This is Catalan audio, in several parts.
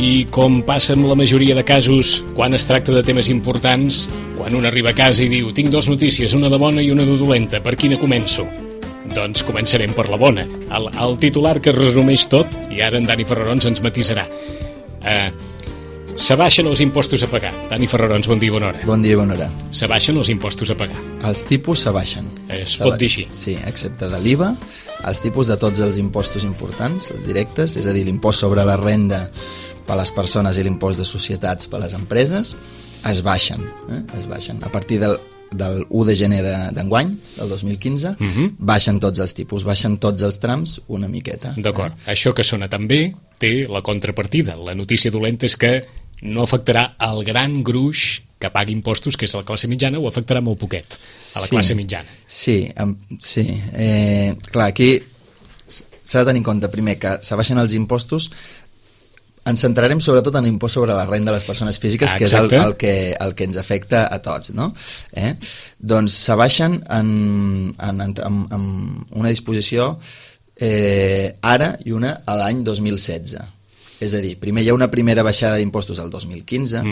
I com passa amb la majoria de casos, quan es tracta de temes importants, quan un arriba a casa i diu tinc dues notícies, una de bona i una de dolenta, per quina començo? Doncs començarem per la bona. El titular que resumeix tot, i ara en Dani Ferrarons ens matisarà. S'abaixen els impostos a pagar. Dani Ferrarons, bon dia i bona hora. Bon dia i bona hora. S'abaixen els impostos a pagar. Els tipus s'abaixen. Pot dir així. Sí, excepte de l'IVA, els tipus de tots els impostos importants, els directes, és a dir, l'impost sobre la renda per a les persones i l'impost de societats per a les empreses, es baixen. Es baixen. A partir del 1 de gener d'enguany, del 2015, baixen tots els tipus, baixen tots els trams una miqueta. D'acord. Això que sona tan bé té la contrapartida. La notícia dolenta és que no afectarà el gran gruix que pagui impostos, que és la classe mitjana, o afectarà molt poquet a la classe mitjana. Sí. Clar, aquí s'ha de tenir en compte primer que s'abaixen els impostos. Ens centrarem sobretot en l'impost sobre la renda de les persones físiques, que és el que ens afecta a tots, no? Doncs s'abaixen amb una disposició ara i una a l'any 2016. És a dir, primer hi ha una primera baixada d'impostos al 2015,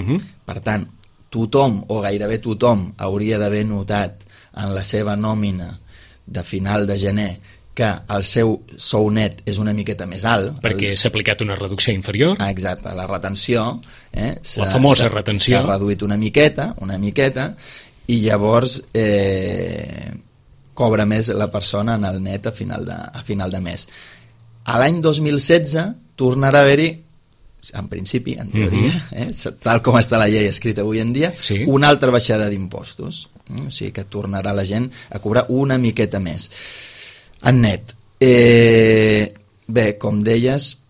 per tant, tothom o gairebé tothom hauria d'haver notat en la seva nòmina de final de gener que el seu sou net és una miqueta més alt. Perquè s'ha aplicat una reducció inferior. Exacte, la retenció. La famosa retenció. S'ha reduït una miqueta, i llavors cobra més la persona en el net a final de mes. A l'any 2016 tornarà a haver-hi, en principi, en teoria, tal com està la llei escrita avui en dia, una altra baixada d'impostos. O sigui que tornarà la gent a cobrar una miqueta més. En net. Bé, com deies,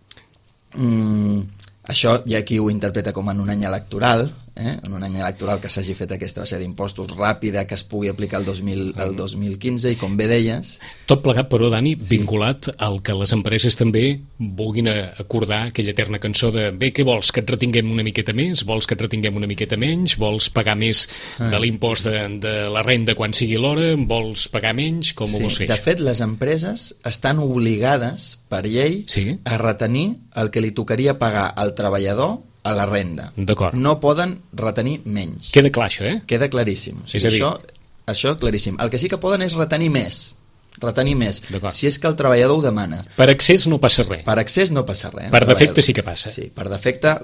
això hi ha qui ho interpreta com en un any electoral, en un any electoral que s'hagi fet aquesta baixada d'impostos ràpida, que es pugui aplicar el 2015, i com bé deies... Tot plegat, però, Dani, vinculat al que les empreses també vulguin acordar aquella eterna cançó de bé, què vols, que et retinguem una miqueta més? Vols que et retinguem una miqueta menys? Vols pagar més de l'impost de la renda quan sigui l'hora? Vols pagar menys? Com ho vols fer? De fet, les empreses estan obligades per llei a retenir el que li tocaria pagar al treballador a la renda. D'acord. No poden retenir menys. Queda clar, això, Queda claríssim. O sigui, això claríssim. El que sí que poden és retenir més. Si és que el treballador ho demana. Per excés no passa res. Per excés no passa res. Per defecte sí que passa. Sí, per defecte,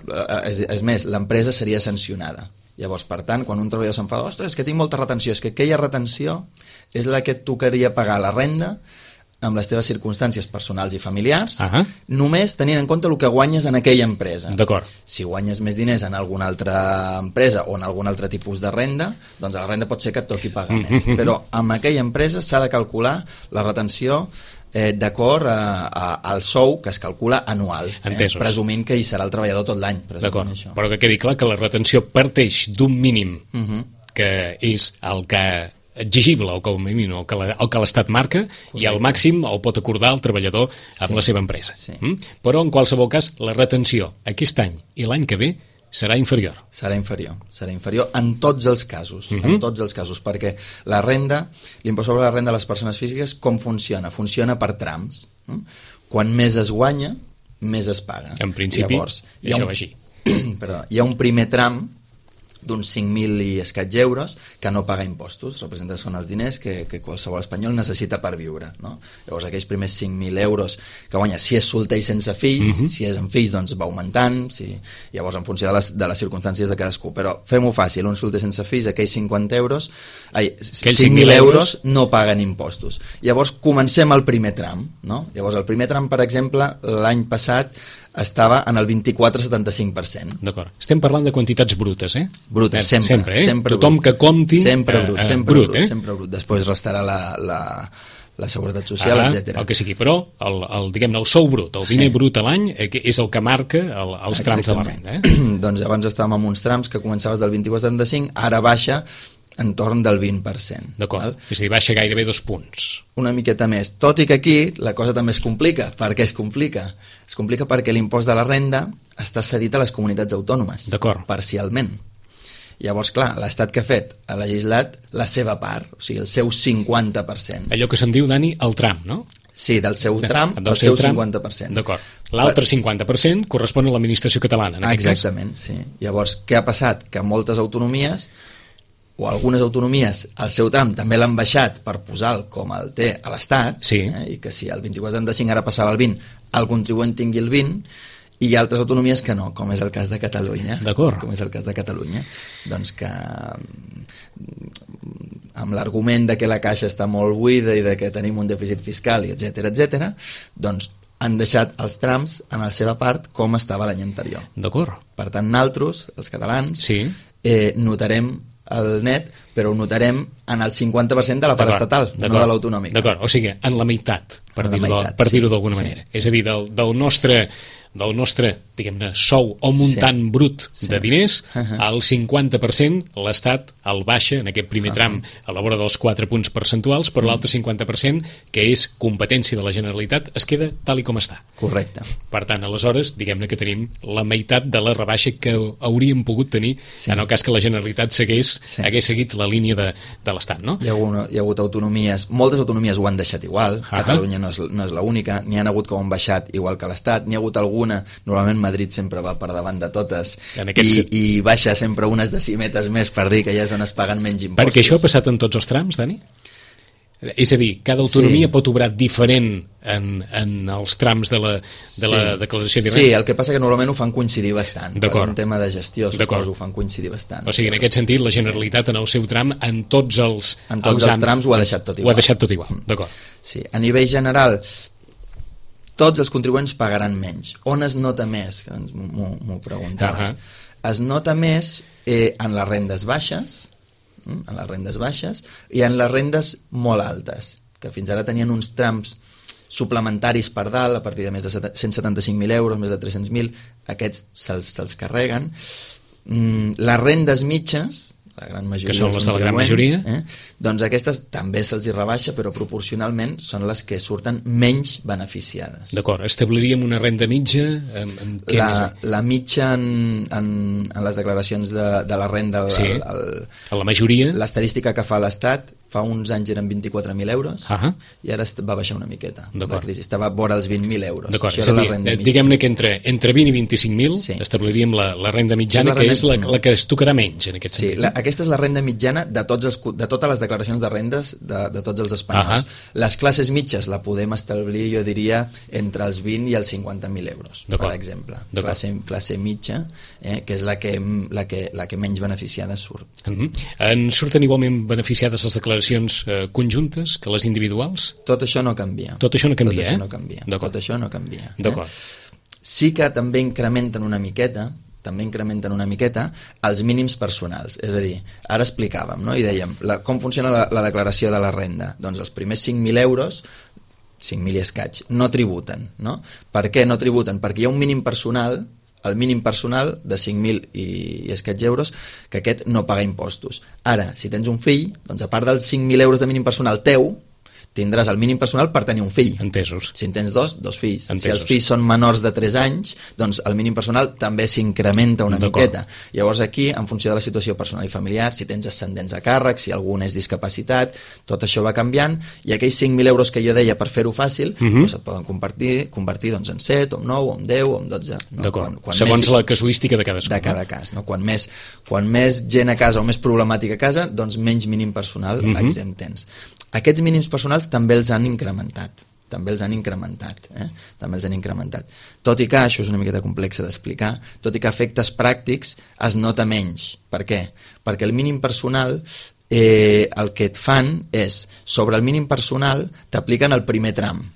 és més, l'empresa seria sancionada. Llavors, per tant, quan un treballador s'enfada, ostres, és que tinc molta retenció, és que aquella retenció és la que et tocaria pagar la renda amb les teves circumstàncies personals i familiars, només tenint en compte el que guanyes en aquella empresa. D'acord. Si guanyes més diners en alguna altra empresa o en algun altre tipus de renda, doncs la renda pot ser que et toqui pagar més. Però amb aquella empresa s'ha de calcular la retenció d'acord al sou que es calcula anual, presumint que hi serà el treballador tot l'any. D'acord, però que quedi clar que la retenció parteix d'un mínim que és el que exigible o com a mínim el que l'Estat marca. Correcte. I el màxim el pot acordar el treballador amb la seva empresa. Però en qualsevol cas la retenció aquest any i l'any que ve serà inferior. Serà inferior en tots els casos, perquè la renda, l'impost sobre la renda de les persones físiques, com funciona? Funciona per trams. Quan més es guanya, més es paga. En principi, llavors, això va així. Hi ha un primer tram d'uns 5.000 i escaig euros que no paga impostos, representa són els diners que qualsevol espanyol necessita per viure, no? Llavors aquells primers 5.000 euros que guanya, si és solter i sense fills, si és amb fills doncs va augmentant, llavors en funció de les circumstàncies de cadascú, però fem-ho fàcil, un solter sense fills, aquells 5.000 euros no paguen impostos. Llavors comencem el primer tram, no? Llavors el primer tram, per exemple, l'any passat estava en el 24,75%. D'acord. Estem parlant de quantitats brutes, Brutes, sempre. Tothom que compti... Sempre brut. Després restarà la seguretat social, etc. El que sigui, però el sou brut, el diner brut a l'any és el que marca els trams de la renda. Doncs abans estàvem amb uns trams que començaves del 24,75, ara baixa entorn del 20%. D'acord, és a dir, baixa gairebé 2 punts. Una miqueta més, tot i que aquí la cosa també es complica. Per què es complica? Es complica perquè l'impost de la renda està cedit a les comunitats autònomes. D'acord. Parcialment. Llavors, clar, l'Estat que ha fet? Ha legislat la seva part, o sigui, el seu 50%. Allò que se'n diu, Dani, el tram, no? Sí, del seu tram, del seu 50%. D'acord. L'altre 50% correspon a l'administració catalana, en aquest cas. Exactament, sí. Llavors, què ha passat? Que moltes autonomies, o algunes autonomies, el seu tram també l'han baixat per posar-lo com el té a l'Estat, sí. I que si el 24,75 ara passava al 20, el contribuent tingui el 20, i hi ha altres autonomies que no, com és el cas de Catalunya. D'acord. Com és el cas de Catalunya. Doncs que amb l'argument de que la caixa està molt buida i de que tenim un dèficit fiscal, i etc, doncs han deixat els trams en la seva part com estava l'any anterior. D'acord. Per tant, nosaltres, els catalans, sí. Notarem el net, però ho notarem en el 50% de la part estatal, no de l'autonòmica. D'acord, o sigui, en la meitat, per dir-ho d'alguna manera. És a dir, del nostre, diguem-ne, sou o muntant brut de diners, el 50% l'Estat el baixa en aquest primer tram a la vora dels 4 punts percentuals, però l'altre 50%, que és competència de la Generalitat, es queda tal i com està. Correcte. Per tant, aleshores, diguem-ne que tenim la meitat de la rebaixa que hauríem pogut tenir en el cas que la Generalitat hagués seguit la línia de l'Estat, no? Hi ha hagut autonomies, moltes autonomies ho han deixat igual, Catalunya no és l'única, n'hi ha hagut que ho han baixat igual que l'Estat, n'hi ha hagut alguna, normalment Madrid sempre va per davant de totes i baixa sempre unes decimetes més per dir que ja és on es paguen menys impostos. Perquè això ha passat en tots els trams, Dani? És a dir, cada autonomia pot obrar diferent en els trams de la declaració de renda? Sí, el que passa que normalment ho fan coincidir bastant. Per un tema de gestió, suposo, ho fan coincidir bastant. O sigui, en aquest sentit, la Generalitat en el seu tram, en tots els trams ho ha deixat tot igual. Ho ha deixat tot igual, d'acord. Sí, a nivell general, tots els contribuents pagaran menys. On es nota més? Que m'ho preguntaves. Es nota més en les rendes baixes, i en les rendes molt altes, que fins ara tenien uns trams suplementaris per dalt, a partir de més de 175.000 euros, més de 300.000, aquests se'ls carreguen. Les rendes mitges, la gran majoria que són les de la gran majoria, doncs aquestes també se'ls hi rebaixa, però proporcionalment són les que surten menys beneficiades. D'acord, establiríem una renda mitja? La mitja en les declaracions de la renda, a la majoria, l'estadística que fa l'Estat, fa uns anys eren 24.000 euros i ara va baixar una miqueta. La crisi estava vora els 20.000 euros. D'acord, és a dir, diguem-ne que entre 20 i 25.000 establiríem la renda mitjana, que és la que es tocarà menys en aquest sentit. Sí, aquesta és la renda mitjana de totes les declaracions de rendes de tots els espanyols. Les classes mitges la podem establir, jo diria, entre els 20 i els 50.000 euros, per exemple. Classe mitja, que és la que menys beneficiada surt. En surten igualment beneficiades les declaracions conjuntes que les individuals? Tot això no canvia. Tot això no canvia, Tot això no canvia. D'acord. Sí que també incrementen una miqueta els mínims personals. És a dir, ara explicàvem, no? I dèiem, com funciona la declaració de la renda? Doncs els primers 5.000 euros, 5.000 i escaig, no tributen, no? Per què no tributen? Perquè hi ha un mínim personal, el mínim personal de 5.000 i escaig euros, que aquest no paga impostos. Ara, si tens un fill, doncs a part dels 5.000 euros de mínim personal teu, tindràs el mínim personal per tenir un fill. Entesos. Si en tens dos fills. Entesos. Si els fills són menors de 3 anys, doncs el mínim personal també s'incrementa una miqueta. Llavors aquí, en funció de la situació personal i familiar, si tens ascendents a càrrec, si algú és discapacitat, tot això va canviant, i aquells 5.000 euros que jo deia per fer-ho fàcil, doncs et poden convertir doncs, en 7, o en 9, o en 10, o en 12. No? D'acord, segons la casuística de cadascú. De cada cas. No? Quan més gent a casa o més problemàtica a casa, doncs menys mínim personal exempt tens. Aquests mínims personals també els han incrementat. Tot i que, això és una miqueta complexa d'explicar, tot i que a efectes pràctics es nota menys. Per què? Perquè el mínim personal, el que et fan és, sobre el mínim personal, t'apliquen el primer tram.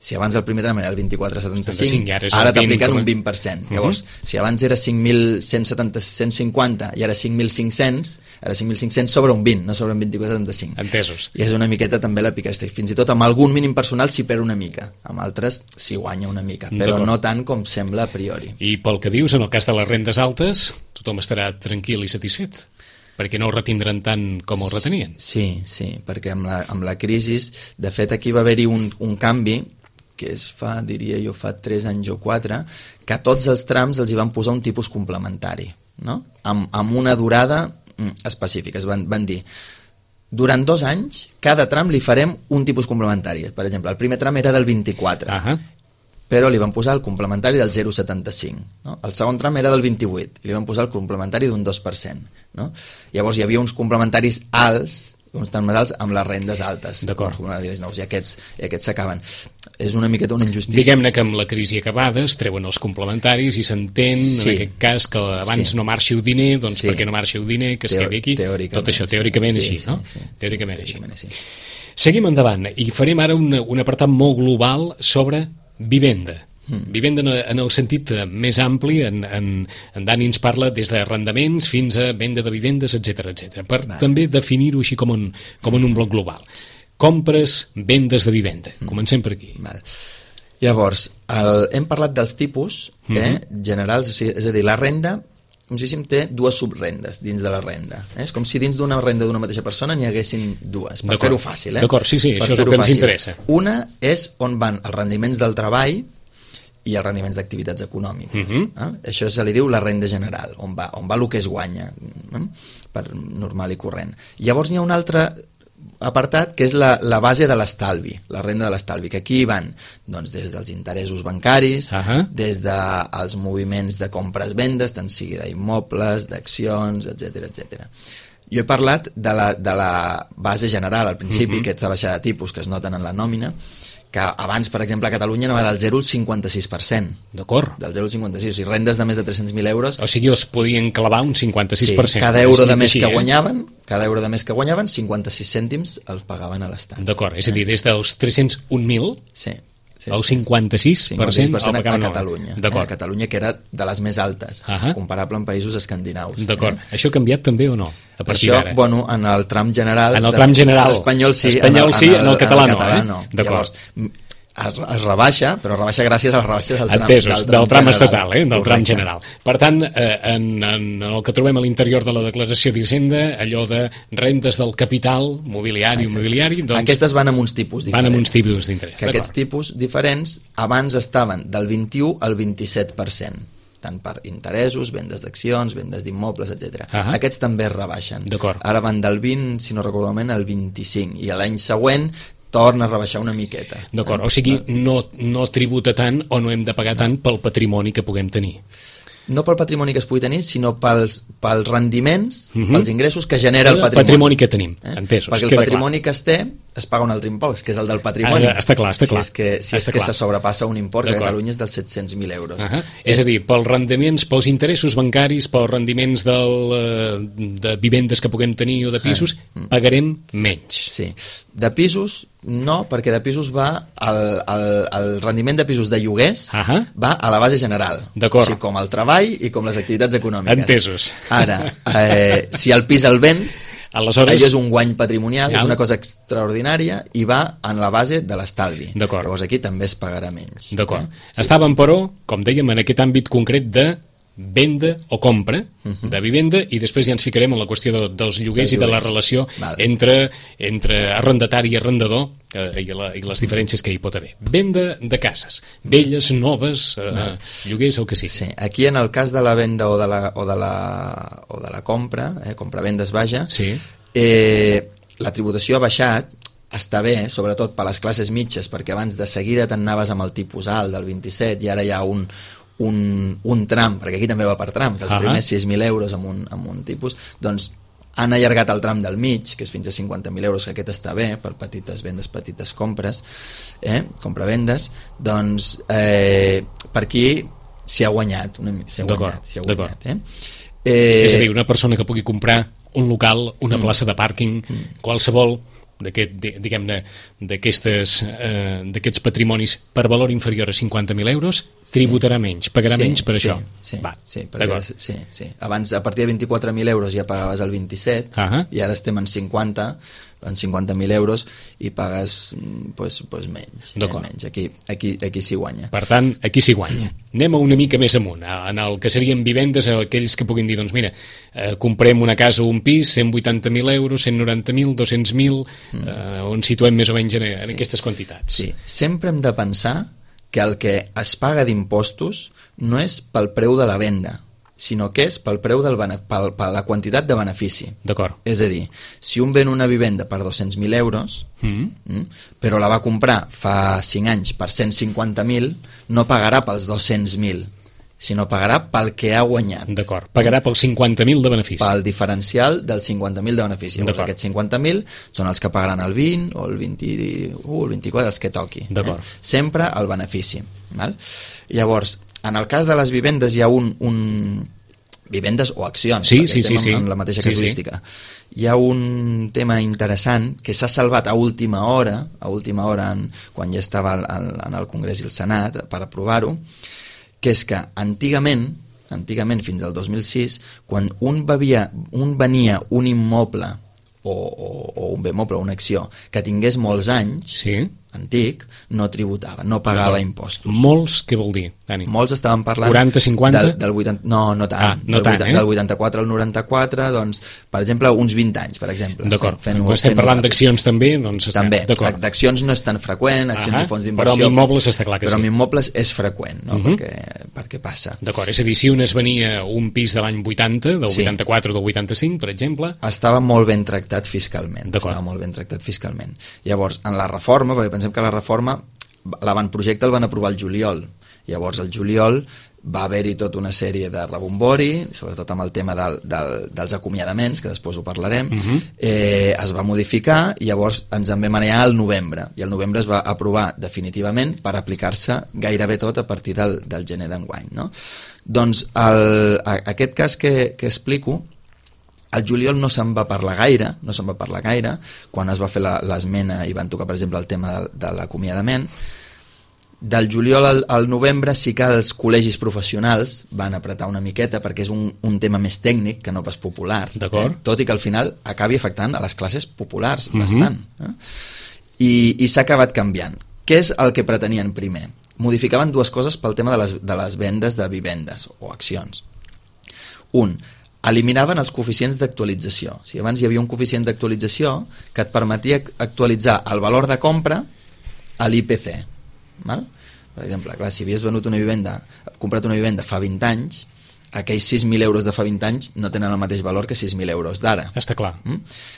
Si abans el primer tram era el 24,75, ara t'apliquen un 20%. Llavors, si abans era 5.150 i ara 5.500, ara 5.500 sobre un 20, no sobre un 24,75. Entesos. I és una miqueta també la picaresca. Fins i tot amb algun mínim personal s'hi perd una mica, amb altres s'hi guanya una mica, però no tant com sembla a priori. I pel que dius, en el cas de les rendes altes, tothom estarà tranquil i satisfet, perquè no ho retindran tant com ho retenien. Sí, perquè amb la crisi, de fet aquí va haver-hi un canvi que diria jo, fa 3 anys o 4, que a tots els trams els hi van posar un tipus complementari, no? Amb una durada específica. Van dir, durant 2 anys, cada tram li farem un tipus complementari. Per exemple, el primer tram era del 24, però li van posar el complementari del 0,75. No? El segon tram era del 28 i li van posar el complementari d'un 2%. No? Llavors hi havia uns complementaris alts, uns trams alts amb les rendes altes. D'acord. I aquests s'acaben. És una miqueta una injustícia. Diguem-ne que amb la crisi acabada es treuen els complementaris i s'entén, en aquest cas, que abans no marxi el diner, doncs perquè no marxi el diner, que es quedi aquí. Tot això, teòricament així, no? Teòricament així. Seguim endavant i farem ara un apartat molt global sobre vivenda. Vivenda en el sentit més ampli, en Dani ens parla des d'arrendaments fins a venda de vivendes, etc per també definir-ho així com en un bloc global. Compres, vendes de vivenda. Comencem per aquí. Llavors, hem parlat dels tipus generals, és a dir, la renda, com si té dues subrendes dins de la renda. És com si dins d'una renda d'una mateixa persona n'hi haguessin dues, per fer-ho fàcil. D'acord, sí, això és el que ens interessa. Una és on van els rendiments del treball i els rendiments d'activitats econòmiques. Això se li diu la renda general, on va el que es guanya, per normal i corrent. Llavors n'hi ha un altre apartat que és la base de l'estalvi, la renda de l'estalvi, que aquí van doncs, des dels interessos bancaris, des dels moviments de compres-vendes, tant sigui d'immobles, d'accions, etc. Jo he parlat de la base general al principi, aquesta baixada de tipus que es noten en la nòmina, que abans, per exemple, a Catalunya anava del 0 al 56%. D'acord. Del 0 al 56%, o sigui, rendes de més de 300.000 euros... O sigui, es podien clavar un 56%. Sí, cada euro de més que guanyaven, 56 cèntims els pagaven a l'Estat. D'acord, és a dir, des dels 301.000... Sí. El 56% el pagaven a Catalunya. A Catalunya, que era de les més altes, comparable amb països escandinaus. D'acord. Això ha canviat també o no? A partir d'ara? Això, bueno, en el tram general... En el tram general. L'espanyol sí, en el català no. D'acord. Es rebaixa, però rebaixa gràcies a les rebaixes del tram, entesos, del tram estatal, del tram general. Per tant, en el que trobem a l'interior de la declaració d'Hisenda, allò de rendes del capital mobiliari, doncs... Aquestes van amb uns tipus diferents. Van amb uns tipus d'interès. Que aquests tipus diferents abans estaven del 21 al 27%. Tant per interessos, vendes d'accions, vendes d'immobles, etc. Aquests també es rebaixen. Ara van del 20, si no recordo malament, al 25. I l'any següent torna a rebaixar una miqueta. D'acord, o sigui, no tributa tant o no hem de pagar tant pel patrimoni que puguem tenir. No pel patrimoni que es pugui tenir, sinó pels rendiments, pels ingressos que genera el patrimoni. El patrimoni que tenim, entesos. Perquè el patrimoni que es té es paga un altre impost, que és el del patrimoni. Està clar. Si és que se sobrepassa un import, que a Catalunya és dels 700.000 euros. És a dir, pels rendiments, pels interessos bancaris, pels rendiments de vivendes que puguem tenir o de pisos, pagarem menys. Sí. De pisos, no, perquè de pisos va el rendiment de pisos de lloguers va a la base general. D'acord. O sigui, com el treball i com les activitats econòmiques. Entesos. Ara, si el pis el vens, aleshores... allò és un guany patrimonial, és una cosa extraordinària i va en la base de l'estalvi. Llavors aquí també es pagarà menys. D'acord. Estàvem, però, com dèiem, en aquest àmbit concret de venda o compra de vivenda i després ja ens ficarem en la qüestió dels lloguers i de la relació entre arrendatari i arrendador i les diferències que hi pot haver. Venda de cases, velles, noves, lloguers, el que sigui. Sí, aquí en el cas de la venda o de la compra, compra-vendes, vaja, la tributació ha baixat, està bé, sobretot per les classes mitges, perquè abans de seguida t'anaves amb el tipus alt del 27 i ara hi ha un tram, perquè aquí també va per trams, els primers 6.000 euros amb un tipus, doncs han allargat el tram del mig, que és fins a 50.000 euros, que aquest està bé, per petites vendes, petites compres, compra-vendes, doncs per aquí s'hi ha guanyat, s'hi ha guanyat. És a dir, una persona que pugui comprar un local, una plaça de pàrquing, qualsevol d'aquests patrimonis per valor inferior a 50.000 euros tributarà menys, pagarà menys per això. Sí. Abans, a partir de 24.000 euros ja pagaves el 27 i ara estem en 50.000 euros i pagues menys. Aquí s'hi guanya. Per tant, aquí s'hi guanya. Anem una mica més amunt, en el que serien vivendes, aquells que puguin dir, doncs mira, comprem una casa o un pis, 180.000 euros, 190.000, 200.000, on situem més o menys en aquestes quantitats. Sí, sempre hem de pensar que el que es paga d'impostos no és pel preu de la venda, sinó que és pel preu per la quantitat de benefici. D'acord. És a dir, si un ven una vivenda per 200.000 euros, però la va comprar fa 5 anys per 150.000, no pagarà pels 200.000, sinó pagarà pel que ha guanyat. D'acord, pagarà pels 50.000 de benefici. Pel diferencial dels 50.000 de benefici. Llavors, aquests 50.000 són els que pagaran el 20 o el 21 o el 24, els que toqui. Sempre el benefici. Val? Llavors, en el cas de les vivendes hi ha vivendes o accions, perquè estem en la mateixa casuística. Hi ha un tema interessant que s'ha salvat a última hora quan ja estava en el Congrés i el Senat per aprovar-ho, que és que antigament fins al 2006, quan un venia un immoble o un bé moble o una acció que tingués molts anys, antic, no tributava, no pagava impostos. Molts, què vol dir, Dani? Molts estaven parlant... 40, 50? Del 80, no tant. Del 84 al 94, doncs, per exemple, uns 20 anys, per exemple. D'acord. Estem parlant d'accions també, doncs... També. D'accions no és tan freqüent, accions i fons d'inversió... Però amb immobles està clar que sí. Però amb immobles és freqüent, no? Perquè passa. D'acord, és a dir, si un es venia un pis de l'any 80, del 84 o del 85, per exemple... Estava molt ben tractat fiscalment. Estava molt ben tractat fiscalment. Llavors, en la reforma, perquè pensem que la reforma, l'avantprojecte el van aprovar el juliol. Llavors, el juliol va haver-hi tota una sèrie de rebombori, sobretot amb el tema dels acomiadaments, que després ho parlarem, es va modificar i llavors ens en vam anar al novembre, i al novembre es va aprovar definitivament per aplicar-se gairebé tot a partir del gener d'enguany. No? Doncs aquest cas que explico, al juliol no se'n va parlar gaire, quan es va fer l'esmena i van tocar, per exemple, el tema de l'acomiadament. Del juliol al novembre sí que els col·legis professionals van apretar una miqueta perquè és un tema més tècnic que no pas popular, tot i que al final acabi afectant a les classes populars bastant. I s'ha acabat canviant. Què és el que pretenien primer? Modificaven dues coses pel tema de les vendes de vivendes o accions. Eliminaven els coeficients d'actualització. Si abans hi havia un coeficient d'actualització que et permetia actualitzar el valor de compra a l'IPC. Per exemple, clar, si havies comprat una vivenda fa 20 anys, aquells 6.000 euros de fa 20 anys no tenen el mateix valor que 6.000 euros d'ara. Està clar.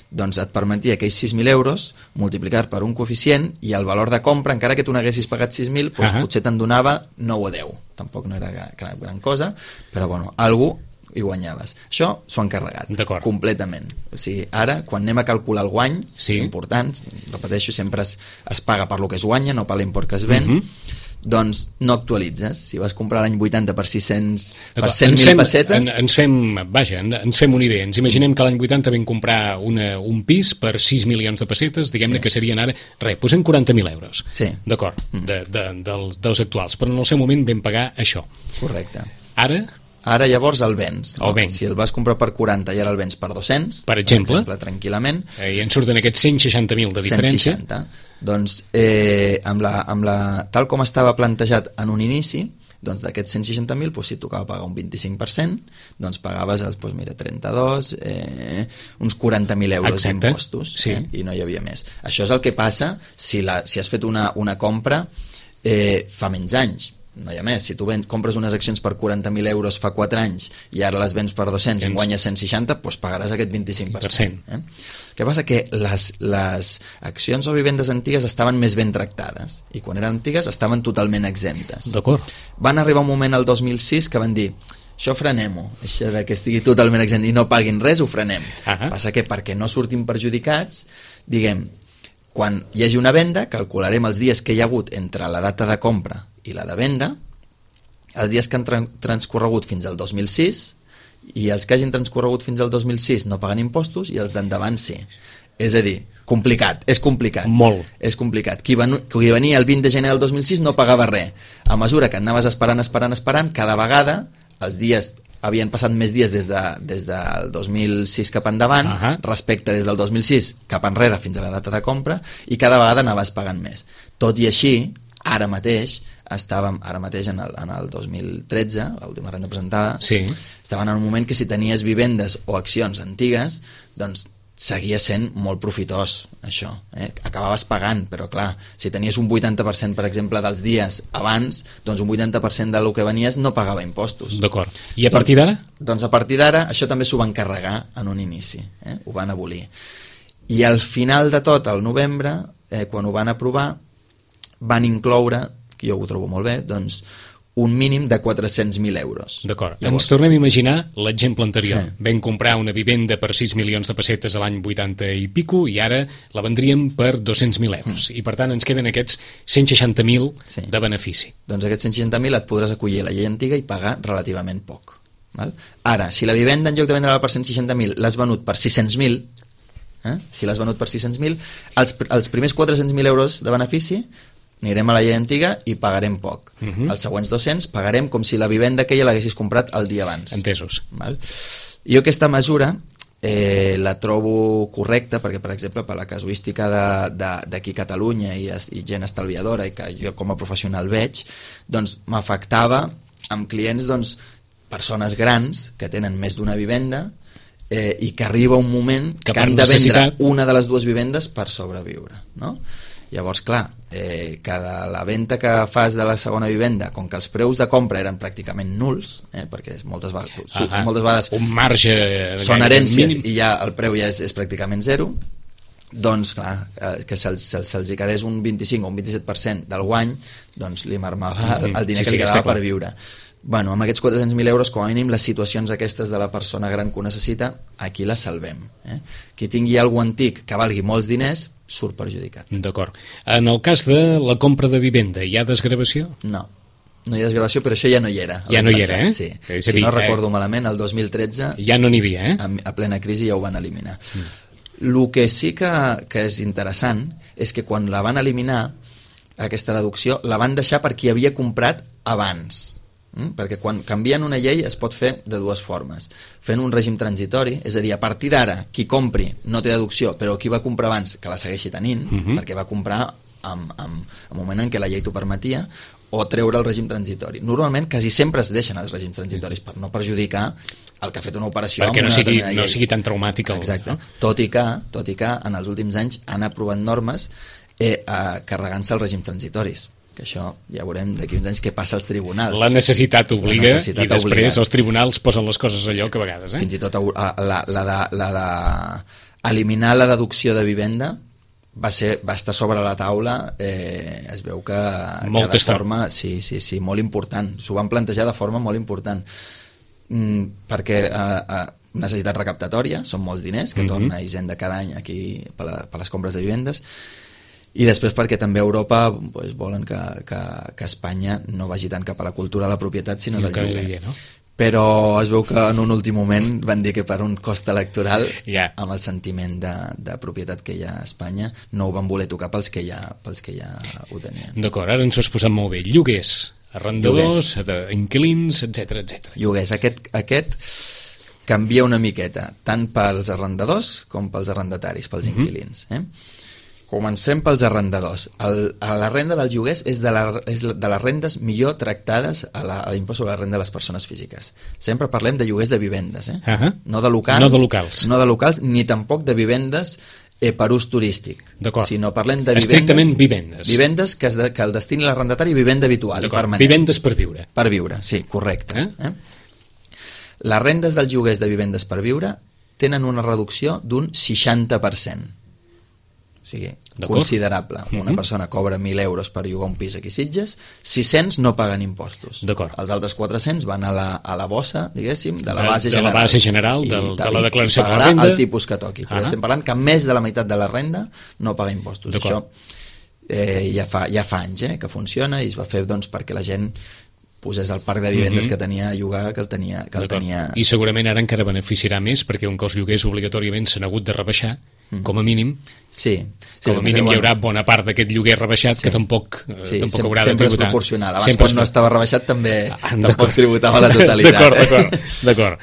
Doncs et permetia aquells 6.000 euros multiplicar per un coeficient i el valor de compra, encara que tu n'haguessis pagat 6.000, potser te'n donava 9 o 10. Tampoc no era gran cosa, però bueno, algú i guanyaves. Això s'ho han carregat completament. O sigui, ara, quan anem a calcular el guany, important, repeteixo, sempre es paga per lo que es guanya, no per l'import que es ven, doncs no actualitzes. Si vas comprar l'any 80 per 100.000 pessetes... Ens fem una idea. Ens imaginem que l'any 80 vam comprar un pis per 6 milions de pessetes, diguem-ne que serien ara... posem 40.000 euros. D'acord, dels actuals. Però en el seu moment vam pagar això. Correcte. Ara llavors el vens. Si el vas comprar per 40 i ara el vens per 200, per exemple tranquil·lament, i en surten aquests 160.000 de diferència. 160. Doncs tal com estava plantejat en un inici, doncs d'aquests 160.000, si tocava pagar un 25%, doncs pagaves 32, uns 40.000 euros d'impostos, i no hi havia més. Això és el que passa si has fet una compra fa menys anys. No hi ha més. Si tu compres unes accions per 40.000 euros fa 4 anys i ara les vens per 200 i guanyes 160, doncs pagaràs aquest 25%. Què passa? Que les accions o vivendes antigues estaven més ben tractades i quan eren antigues estaven totalment exemptes. Van arribar un moment al 2006 que van dir això frenem-ho, això que estigui totalment exempt i no paguin res, ho frenem. Passa que perquè no surtin perjudicats, diguem, quan hi hagi una venda, calcularem els dies que hi ha hagut entre la data de compra i la de venda, els dies que han transcorregut fins al 2006 i els que hagin transcorregut fins al 2006 no paguen impostos i els d'endavant sí. És a dir, és complicat. Molt. És complicat. Qui venia el 20 de gener del 2006 no pagava res. A mesura que anaves esperant, cada vegada els dies havien passat més dies des del 2006 cap endavant, respecte des del 2006 cap enrere fins a la data de compra, i cada vegada anaves pagant més. Tot i així, ara mateix en el 2013, l'última renda presentada, estaven en un moment que si tenies vivendes o accions antigues, doncs seguia sent molt profitós, això. Acabaves pagant, però clar, si tenies un 80%, per exemple, dels dies abans, doncs un 80% del que venies no pagava impostos. D'acord. I a partir d'ara? Doncs a partir d'ara, això també s'ho van carregar en un inici, ho van abolir. I al final de tot, al novembre, quan ho van aprovar, van incloure, que jo ho trobo molt bé, doncs un mínim de 400.000 euros. D'acord. Ens tornem a imaginar l'exemple anterior. Vam comprar una vivenda per 6 milions de pessetes a l'any 80 i pico i ara la vendríem per 200.000 euros. I per tant ens queden aquests 160.000 de benefici. Doncs aquests 160.000 et podràs acollir a la llei antiga i pagar relativament poc. Val? Ara, si la vivenda en lloc de vendre-la per 160.000 l'has venut per 600.000, si l'has venut per 600.000, els primers 400.000 euros de benefici anirem a la llei antiga i pagarem poc. Els següents 200 pagarem com si la vivenda aquella l'haguessis comprat el dia abans. Entesos. Val? Jo aquesta mesura la trobo correcta perquè, per exemple, per la casuística d'aquí a Catalunya i gent estalviadora i que jo com a professional veig, doncs m'afectava amb clients, doncs, persones grans que tenen més d'una vivenda i que arriba un moment que han de vendre una de les dues vivendes per sobreviure, no? Llavors, clar, cada la venda que fas de la segona vivenda, com que els preus de compra eren pràcticament nuls, perquè moltes vegades un marge són herències i ja el preu ja és pràcticament zero, doncs clar, que se'ls quedés un 25 o un 27% del guany, doncs li marmava el diner que li quedava per viure. Bueno, amb aquests 400.000 euros, com a mínim, les situacions aquestes de la persona gran que ho necessita, aquí les salvem. Qui tingui algú antic que valgui molts diners, surt perjudicat. D'acord. En el cas de la compra de vivenda, hi ha desgravació? No hi ha desgravació, però això ja no hi era. Ja no hi era, Sí. Si no recordo malament, el 2013... Ja no n'hi havia, a plena crisi ja ho van eliminar. El que sí que és interessant és que quan la van eliminar, aquesta deducció, la van deixar per qui havia comprat abans. Perquè quan canvien una llei es pot fer de dues formes, fent un règim transitori, és a dir, a partir d'ara qui compri no té deducció, però qui va comprar abans que la segueixi tenint, perquè va comprar en un moment en què la llei t'ho permetia, o treure el règim transitori. Normalment quasi sempre es deixen els règims transitoris per no perjudicar el que ha fet una operació perquè no sigui tan traumàtic. Exacte. Tot i que en els últims anys han aprovat normes carregant-se els règims transitoris, que això ja veurem d'aquí uns anys què passa als tribunals. La necessitat obliga i després els tribunals posen les coses a lloc a vegades. Fins i tot la d'eliminar la deducció de vivenda va estar sobre la taula, es veu que de forma molt important, s'ho van plantejar de forma molt important, perquè necessitat recaptatòria, són molts diners que torna Hisenda cada any aquí per les compres de vivendes, i després perquè també a Europa volen que Espanya no vagi tant cap a la cultura de la propietat sinó del lloguer, no? Però es veu que en un últim moment van dir que per un cost electoral amb el sentiment de propietat que hi ha a Espanya no ho van voler tocar pels que ja ho tenien. D'acord, ara ens ho has posat molt bé. Lloguers, arrendadors, inquilins, etc. Lloguers, aquest canvia una miqueta tant pels arrendadors com pels arrendataris, pels inquilins. Comencem pels arrendadors. La renda dels lloguers és de les rendes millor tractades a l'impost sobre la renda de les persones físiques. Sempre parlem de lloguers de vivendes, no de locals, ni tampoc de vivendes per ús turístic, sinó parlem de estrictament vivendes. Vivendes que el destini l'arrendatari vivenda habitual i permanent. Vivendes per viure. Per viure, sí, correcte. Les rendes dels lloguers de vivendes per viure tenen una reducció d'un 60%. O sigui, considerable. Una persona cobra 1.000 euros per llogar un pis aquí a Sitges, 600 no paguen impostos. Els altres 400 van a la bossa, diguéssim, de la base general. De la base general, de la declaració de la renda. El tipus que toqui. Però estem parlant que més de la meitat de la renda no paga impostos. Això ja fa anys que funciona i es va fer perquè la gent posés el parc de vivendes que tenia a llogar que el tenia. I segurament ara encara beneficiarà més perquè un que els lloguers obligatòriament s'han hagut de rebaixar, com a mínim. Sí, com a mínim hi haurà bona part d'aquest lloguer rebaixat que tampoc haurà de tributar. Sempre és proporcional. Abans quan no estava rebaixat tampoc tributava la totalitat. D'acord.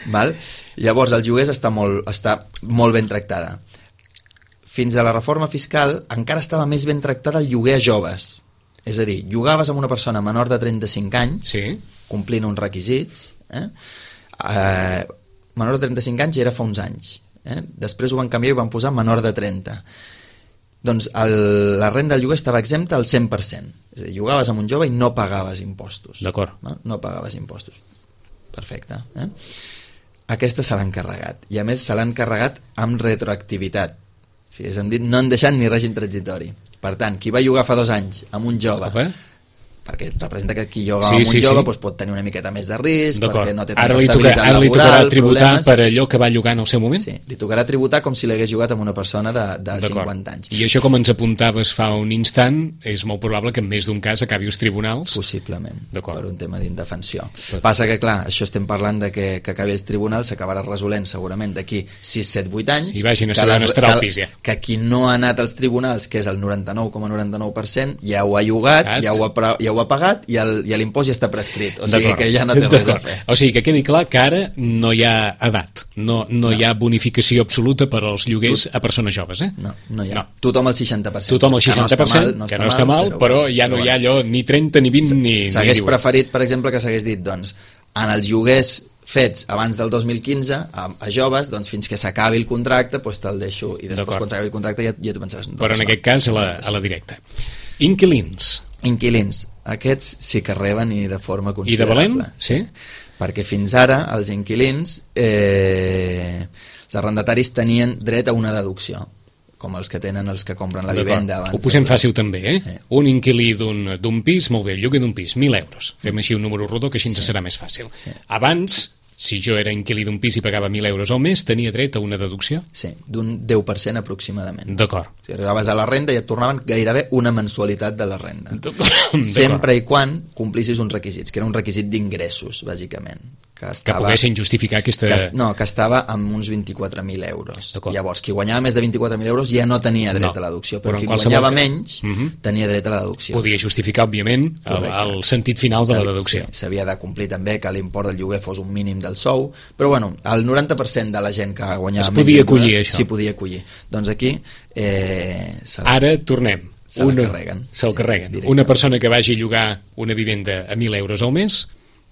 Llavors els lloguers està molt ben tractada. Fins a la reforma fiscal encara estava més ben tractada el lloguer a joves. És a dir, llogaves amb una persona menor de 35 anys, complint uns requisits, menor de 35 anys ja era fa uns anys, Després ho van canviar i van posar menor de 30. Doncs la renda del lloguer estava exempta al 100%. És a dir, llogaves amb un jove i no pagaves impostos. D'acord. No pagaves impostos. Perfecte. Aquesta se l'han carregat. I a més se l'han carregat amb retroactivitat. O sigui, és a dir, no han deixat ni règim transitori. Per tant, qui va llogar fa 2 anys amb un jove... perquè representa que qui lloga amb un jove doncs pot tenir una miqueta més de risc, perquè no té tanta estabilitat laboral. Ara li tocarà tributar per allò que va llogar en el seu moment? Sí, li tocarà tributar com si l'hagués llogat amb una persona de 50 anys. I això, com ens apuntaves fa un instant, és molt probable que en més d'un cas acabi als tribunals? Possiblement, per un tema d'indefensió. Passa que, clar, això estem parlant de que acabi als tribunals, s'acabarà resolent segurament d'aquí 6, 7, 8 anys. I vagin a saber on estarà el pis, ja. Que qui no ha anat als tribunals, que és el 99,99%, ja ho ha llogat, ja ho ha pagat i l'impost ja està prescrit, o sigui que ja no té res a fer. O sigui que quedi clar que ara no hi ha edat, no hi ha bonificació absoluta per als lloguers a persones joves, No hi ha. Tothom al 60%. Tothom al 60%, que no està mal, però ja no hi ha allò ni 30, ni 20, ni 10. S'hagués preferit, per exemple, que s'hagués dit, doncs, en els lloguers fets abans del 2015 a joves, doncs fins que s'acabi el contracte doncs te'l deixo, i després quan s'acabi el contracte ja tu pensaràs. Però en aquest cas a la directa. Inquilins, aquests sí que reben i de forma considerable. I de valent? Sí. Perquè fins ara els inquilins, els arrendataris tenien dret a una deducció, com els que tenen els que compren la vivenda abans. Ho posem fàcil també, Un inquilí d'un pis, molt bé, el lloguer d'un pis, 1.000 euros. Fem així un número rodó que així ens serà més fàcil. Abans, si jo era inquilí d'un pis i pagava 1.000 euros al mes, tenia dret a una deducció? Sí, d'un 10% aproximadament. D'acord. Si arribaves a la renda i et tornaven gairebé una mensualitat de la renda. Sempre i quan complissis uns requisits, que era un requisit d'ingressos, bàsicament. Que poguessin justificar aquesta... que estava amb uns 24.000 euros. Llavors, qui guanyava més de 24.000 euros ja no tenia dret a la deducció, però qui guanyava menys tenia dret a la deducció. Podia justificar, òbviament, el sentit final de la deducció. Sí, s'havia de complir també que l'import del lloguer fos un mínim del sou, però bueno, el 90% de la gent que guanyava menys... Es podia acollir, això. Sí, podia acollir. Doncs aquí... Ara tornem. Se'l carreguen. Se'l carreguen. Una persona que vagi a llogar una vivenda a 1.000 euros al mes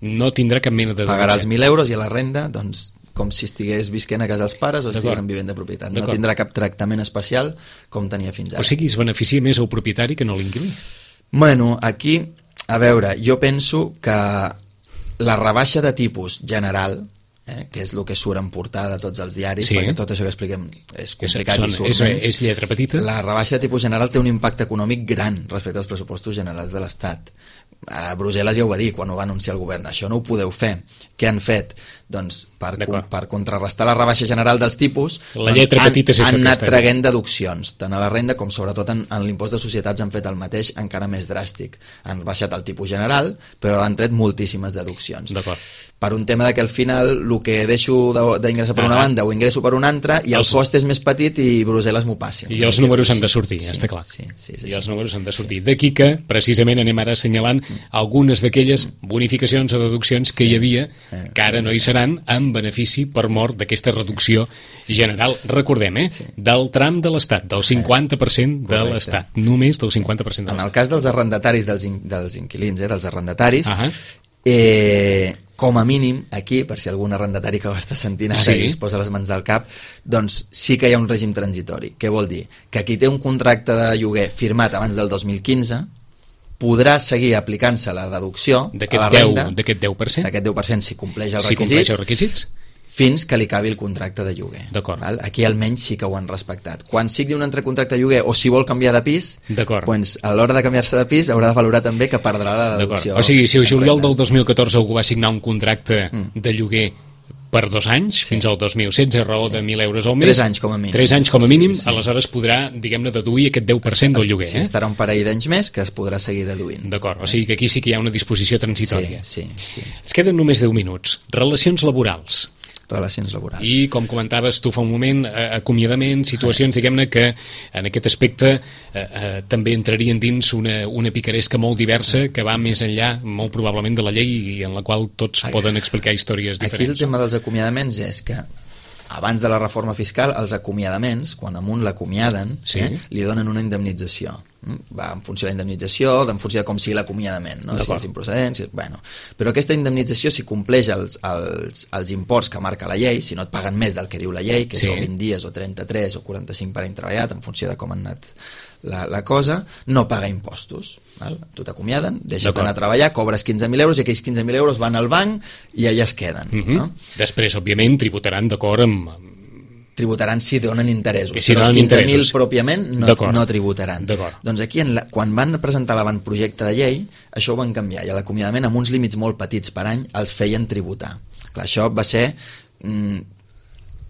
no tindrà cap mena de deducció. Pagarà els 1.000 euros i a la renda, doncs, com si estigués visquent a casa dels pares o estigués en vivenda de propietat. No tindrà cap tractament especial com tenia fins ara. O sigui, es beneficia més el propietari que no l'inquilí. Bueno, aquí, a veure, jo penso que la rebaixa de tipus general, que és el que surt en portada de tots els diaris, perquè tot això que expliquem és complicat i surt menys. És lletra petita. La rebaixa de tipus general té un impacte econòmic gran respecte als pressupostos generals de l'Estat. A Brussel·les ja ho va dir quan ho va anunciar el govern, això no ho podeu fer. Què han fet? Doncs per contrarrestar la rebaixa general dels tipus, han anat traguent deduccions, tant a la renda com sobretot en l'impost de societats han fet el mateix, encara més dràstic. Han baixat el tipus general, però han tret moltíssimes deduccions. Per un tema que al final el que deixo d'ingressar per una banda ho ingresso per una altra i el cost és més petit i Brussel·les m'ho passi. I els números han de sortir, està clar. I els números han de sortir. D'aquí que, precisament, anem ara assenyalant algunes d'aquelles bonificacions o deduccions que hi havia, que ara no hi seran, en benefici per mort d'aquesta reducció general. Recordem, del tram de l'Estat, del 50% de l'Estat, només del 50% de l'Estat. En el cas dels arrendataris, dels inquilins, dels arrendataris, com a mínim, aquí, per si algun arrendatari que ho està sentint ara i es posa les mans del cap, doncs sí que hi ha un règim transitori. Què vol dir? Que qui té un contracte de lloguer firmat abans del 2015 podrà seguir aplicant-se la deducció a la renda d'aquest 10%? D'aquest 10% si compleix els requisits fins que li acabi el contracte de lloguer. Aquí almenys sí que ho han respectat. Quan sigui un altre contracte de lloguer o si vol canviar de pis, doncs a l'hora de canviar-se de pis haurà de valorar també que perdrà la deducció. O sigui, si el juliol del 2014 algú va signar un contracte de lloguer per 2 anys, fins al 2016, a raó de 1.000 euros al mes. 3 anys com a mínim. 3 anys com a mínim, aleshores podrà, diguem-ne, deduir aquest 10% del lloguer. Estarà un parell d'anys més que es podrà seguir deduint. D'acord, o sigui que aquí sí que hi ha una disposició transitòria. Sí. Ens queden només 10 minuts. Relacions laborals. I, com comentaves tu fa un moment, acomiadament, situacions, diguem-ne, que en aquest aspecte també entrarien dins una picaresca molt diversa que va més enllà, molt probablement, de la llei i en la qual tots poden explicar històries diferents. Aquí el tema dels acomiadaments és que abans de la reforma fiscal, els acomiadaments, quan amunt l'acomiaden, li donen una indemnització. Va en funció de la indemnització, en funció de com sigui l'acomiadament, no? Si és improcedent, bueno. Però aquesta indemnització, si compleix els imports que marca la llei, si no et paguen més del que diu la llei, que són 20 dies o 33 o 45 per any treballat, en funció de com han anat la cosa, no paga impostos. Val? Tu t'acomiaden, deixes d'anar a treballar, cobres 15.000 euros i aquells 15.000 euros van al banc i allà es queden. No? Després, òbviament, tributaran d'acord amb... Tributaran si donen interessos, si però els 15.000 pròpiament no tributaran. Doncs aquí, quan van presentar l'avantprojecte de llei, això ho van canviar, i l'acomiadament amb uns límits molt petits per any els feien tributar. Clar, això va ser...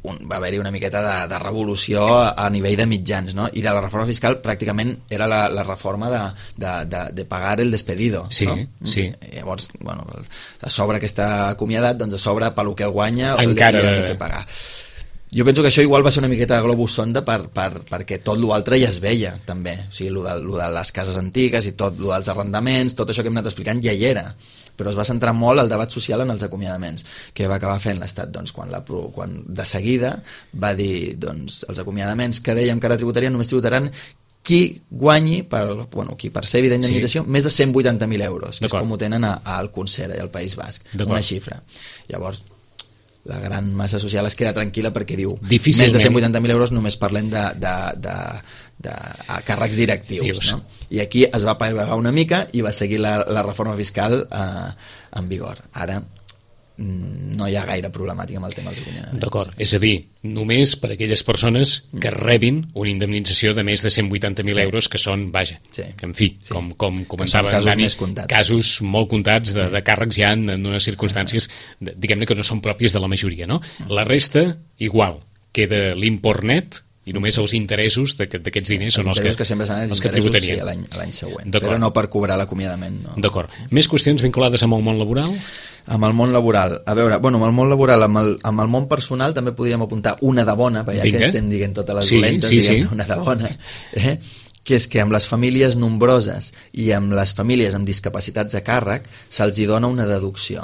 va haver-hi una miqueta de revolució a nivell de mitjans, no? I de la reforma fiscal pràcticament era la reforma de pagar el despedido, no? Llavors, bueno, a sobre que està acomiadat, doncs a sobre pel que el guanya encara li han de fer pagar. Jo penso que això igual va ser una miqueta de globus sonda perquè tot l'altre ja es veia, també. O sigui, lo de les cases antigues i tot lo dels arrendaments, tot això que hem anat explicant ja hi era. Però es va centrar molt el debat social en els acomiadaments, que va acabar fent l'Estat, doncs, quan de seguida va dir, doncs, els acomiadaments que dèiem que ara tributarien, només tributaran qui guanyi, qui percebi d'indemnització, més de 180.000 euros, que és com ho tenen al Concert i al País Basc, una xifra. Llavors, la gran massa social es queda tranquil·la perquè diu més de 180.000 euros només parlem de càrrecs directius, no? I aquí es va pagar una mica i va seguir la reforma fiscal en vigor. Ara no hi ha gaire problemàtica amb el tema dels acomiadaments. D'acord, és a dir, només per a aquelles persones que rebin una indemnització de més de 180.000 euros, que són, vaja, que en fi, com comentava Dani, casos molt comptats de càrrecs ja en unes circumstàncies, diguem-ne, que no són pròpies de la majoria, no? La resta, igual, queda l'import net i només els interessos d'aquests diners són els que sempre seran els interessos l'any següent, però no per cobrar l'acomiadament. D'acord. Més qüestions vinculades amb el món laboral? Amb el món laboral, a veure, amb el món laboral, amb el món personal també podríem apuntar una de bona, perquè ja que estem dient totes les dolentes, diguem una de bona, que és que amb les famílies nombroses i amb les famílies amb discapacitats a càrrec se'ls hi dona una deducció.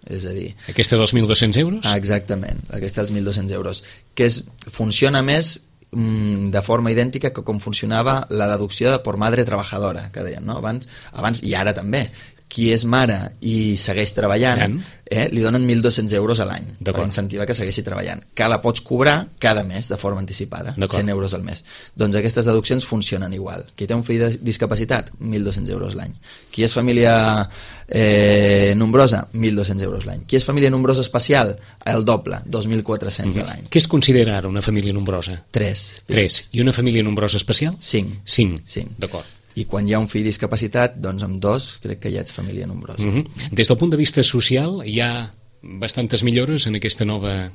És a dir... Aquesta dels 1.200 euros? Exactament, aquesta dels 1.200 euros, que funciona més de forma idèntica que com funcionava la deducció per madre trabajadora, que deien, no? Abans i ara també. Qui és mare i segueix treballant, li donen 1.200 euros a l'any per incentivar que segueixi treballant, que la pots cobrar cada mes de forma anticipada, 100 euros al mes. Doncs aquestes deduccions funcionen igual. Qui té un fill de discapacitat, 1.200 euros l'any. Qui és família nombrosa, 1.200 euros l'any. Qui és família nombrosa especial, el doble, 2.400 a l'any. Què es considera ara una família nombrosa? 3. I una família nombrosa especial? 5. D'acord. I quan hi ha un fill discapacitat, doncs amb 2 crec que ja ets família nombrosa. Des del punt de vista social, hi ha bastantes millores en aquesta nova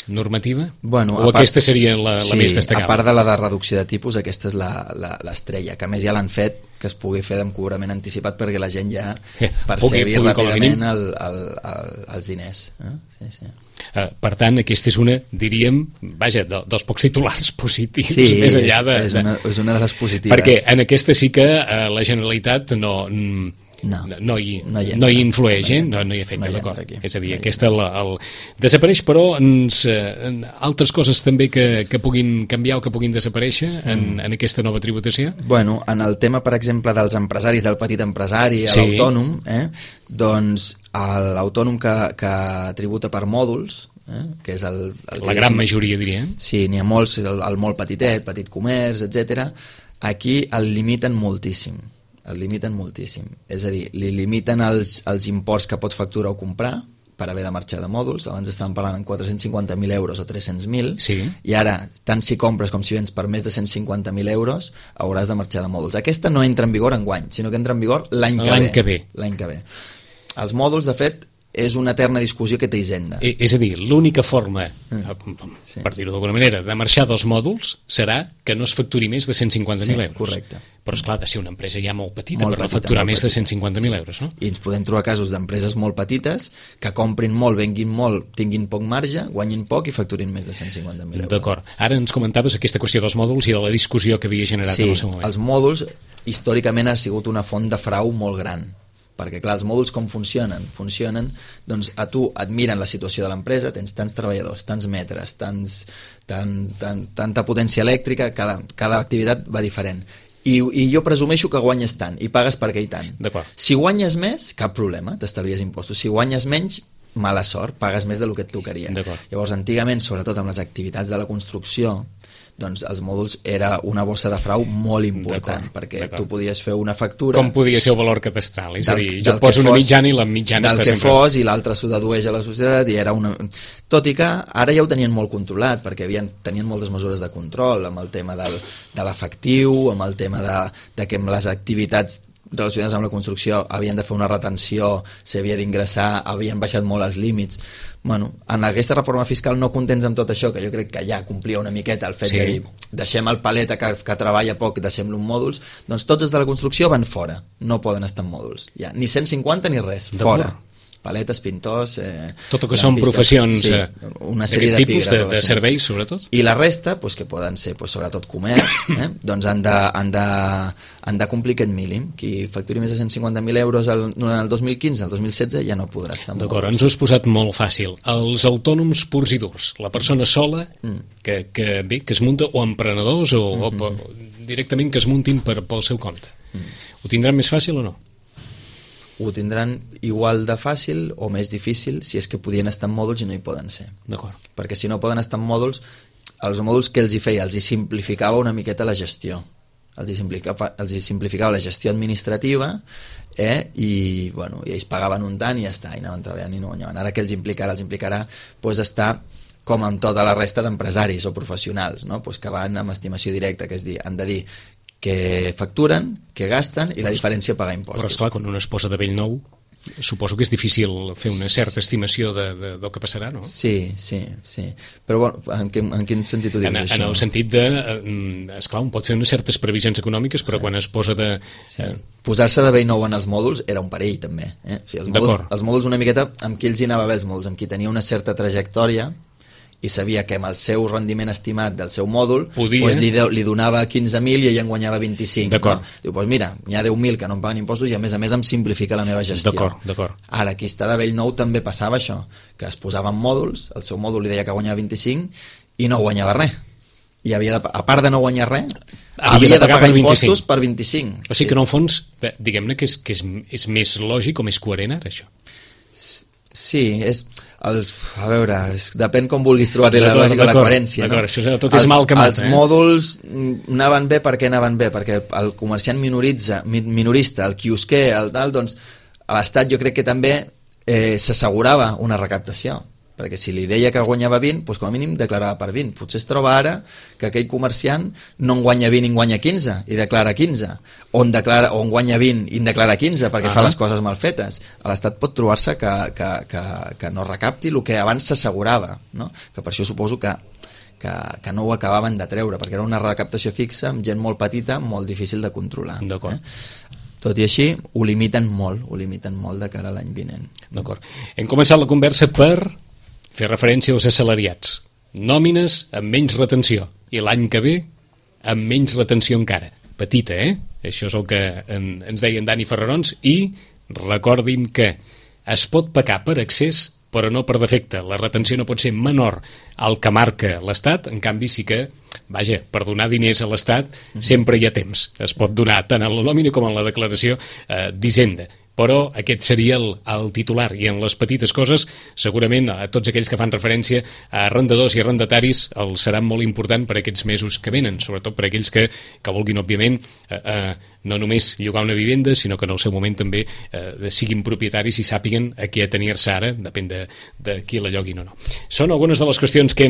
normativa? O aquesta seria la més destacable? A part de la de reducció de tipus, aquesta és l'estrella, que a més ja l'han fet que es pugui fer amb cobrament anticipat perquè la gent ja percebi ràpidament els diners. Per tant, aquesta és una, diríem, vaja, dels pocs titulars positius, més enllà de... és una de les positives. Perquè en aquesta sí que la Generalitat no hi influeix, no hi afecta, d'acord. És a dir, aquesta desapareix, però altres coses també que puguin canviar o que puguin desaparèixer en aquesta nova tributació? Bueno, en el tema, per exemple, dels empresaris, del petit empresari, l'autònom, doncs l'autònom que tributa per mòduls, que és la gran majoria, diríem. Sí, n'hi ha molts, el molt petitet, petit comerç, etc. Aquí el limiten moltíssim. És a dir, li limiten els imports que pot facturar o comprar per haver de marxar de mòduls. Abans estàvem parlant en 450.000 euros o 300.000 i ara, tant si compres com si vens per més de 150.000 euros hauràs de marxar de mòduls. Aquesta no entra en vigor enguany, sinó que entra en vigor l'any que ve. Els mòduls, de fet, és una eterna discussió que té Hisenda. És a dir, l'única forma, per dir-ho d'alguna manera, de marxar dels mòduls serà que no es facturi més de 150.000 euros. Correcte. Però, esclar, ha de ser una empresa ja molt petita per facturar més de 150.000 euros, no? I ens podem trobar casos d'empreses molt petites que comprin molt, venguin molt, tinguin poc marge, guanyin poc i facturin més de 150.000 euros. D'acord. Ara ens comentaves aquesta qüestió dels mòduls i de la discussió que havia generat en el seu moment. Els mòduls històricament ha sigut una font de frau molt gran, perquè clar, els mòduls com funcionen? Funcionen, doncs a tu et miren la situació de l'empresa, tens tants treballadors, tants metres, tanta potència elèctrica, cada activitat va diferent. I jo presumeixo que guanyes tant i pagues per aquell tant. Si guanyes més, cap problema, t'estalvies impostos. Si guanyes menys, mala sort, pagues més del que et tocaria. Llavors, antigament, sobretot amb les activitats de la construcció, doncs els mòduls era una bossa de frau molt important, perquè tu podies fer una factura... Com podia ser el valor catastral? És a dir, jo poso una mitjana i la mitjana està sempre... Del que fos, i l'altre s'ho dedueix a la societat, i era una... Tot i que ara ja ho tenien molt controlat, perquè tenien moltes mesures de control, amb el tema de l'efectiu, amb el tema de que amb les activitats relacionades amb la construcció havien de fer una retenció, s'havia d'ingressar, havien baixat molt els límits. Bueno, en aquesta reforma fiscal no contents amb tot això, que jo crec que ja complia una miqueta el fet de dir deixem el paleta que treballa poc, deixem-lo en mòduls, doncs tots els de la construcció van fora, no poden estar en mòduls, ja, ni 150 ni res, fora. Paletes, pintors... Tot el que són professions una sèrie de tipus de serveis, sobretot. I la resta, que poden ser sobretot comerç, doncs han de complir aquest mínim. Qui facturi més de 150.000 euros durant el 2015, el 2016, ja no podrà estar. D'acord, ens ho has posat molt fàcil. Els autònoms purs i durs, la persona sola que es munta, o emprenedors, o directament que es muntin pel seu compte. Ho tindran més fàcil o no? Ho tindran igual de fàcil o més difícil si és que podien estar en mòduls i no hi poden ser. D'acord. Perquè si no poden estar en mòduls, els mòduls que els hi feia, els hi simplificava una miqueta la gestió. Els hi simplificava la gestió administrativa i ells pagaven un tant i ja està, i anaven treballant i no guanyaven. Ara que els implicarà estar com amb tota la resta d'empresaris o professionals, no? Que van amb estimació directa, que és dir, han de dir que facturen, que gasten i la diferència pagar impostos. Però esclar, quan una es posa de vell nou, suposo que és difícil fer una certa estimació del que passarà, no? Sí. Però en quin sentit ho dius, això? En el sentit de... Esclar, un pot fer unes certes previsions econòmiques, però quan es posa de... Posar-se de vell nou en els mòduls era un perill, també. Els mòduls una miqueta, amb qui els hi anava bé els mòduls, amb qui tenia una certa trajectòria i sabia que amb el seu rendiment estimat del seu mòdul li donava 15.000 i ell en guanyava 25. D'acord. No? Diu, doncs mira, n'hi ha 10.000 que no em paguen impostos i a més em simplifica la meva gestió. D'acord. Ara, qui està de vell nou també passava això, que es posava en mòduls, el seu mòdul li deia que guanyava 25 i no guanyava res. I havia a part de no guanyar res, havia de pagar impostos per 25. O sigui que en el fons, diguem-ne que és més lògic o més coherent ara, això. Sí, depèn com vulguis trobar-li la lògica o la coherència. No? Això tot és mal que mata. Els mòduls anaven bé perquè el comerciant minorista, el quiosquer, doncs l'Estat jo crec que també s'assegurava una recaptació, perquè si li deia que guanyava 20, doncs com a mínim declarava per 20. Potser es troba ara que aquell comerciant no en guanya 20 i en guanya 15 i declara 15, o en guanya 20 i en declara 15 perquè fa les coses mal fetes. L'Estat pot trobar-se que no recapti el que abans s'assegurava, no? Que per això suposo que no ho acabaven de treure, perquè era una recaptació fixa amb gent molt petita, molt difícil de controlar. D'acord. Tot i així, ho limiten molt de cara a l'any vinent. D'acord. Hem començat la conversa per fer referència als assalariats. Nòmines amb menys retenció. I l'any que ve, amb menys retenció encara. Petita, Això és el que ens deien Dani Ferrarons. I recordin que es pot pecar per excés, però no per defecte. La retenció no pot ser menor al que marca l'Estat. En canvi, sí que, per donar diners a l'Estat sempre hi ha temps. Es pot donar tant en la nòmina com en la declaració d'Hisenda. Però aquest seria el titular, i en les petites coses segurament a tots aquells que fan referència a arrendadors i arrendataris els serà molt important per aquests mesos que venen, sobretot per aquells que vulguin òbviament no només llogar una vivenda, sinó que en el seu moment també siguin propietaris i sàpiguen a què atenir-se ara, depèn de qui la lloguin o no. Són algunes de les qüestions que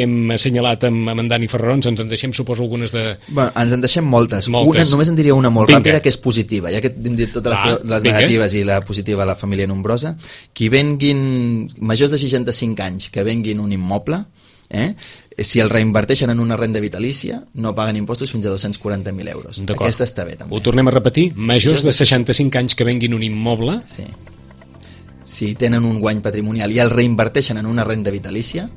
hem assenyalat amb en Dani Ferrarons. Ens en deixem, suposo, algunes de... Ens en deixem moltes. Només en diria una molt ràpida, que és positiva, ja que hem dit totes les negatives i la positiva a la família nombrosa. Qui venguin majors de 65 anys que venguin un immoble, si el reinverteixen en una renda vitalícia, no paguen impostos fins a 240.000 euros. Aquesta està bé, també. Ho tornem a repetir. Majors de 65 anys que venguin un immoble... Sí. Si tenen un guany patrimonial i el reinverteixen en una renda vitalícia,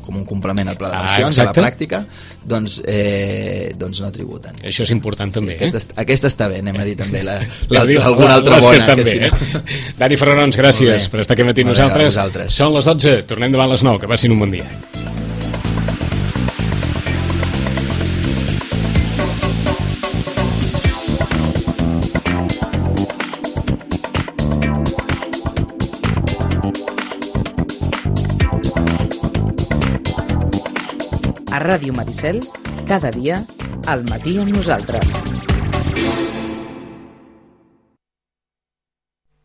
com un complement al pla de pensions, a la pràctica, doncs no tributen. Això és important també, Aquesta està bé, anem a dir també alguna altra bona. Que si no... Dani Ferrarons, gràcies per estar aquí matí nosaltres. Són les 12, tornem demà a les 9, que passin un bon dia. A Ràdio Maricel, cada dia, al matí amb nosaltres.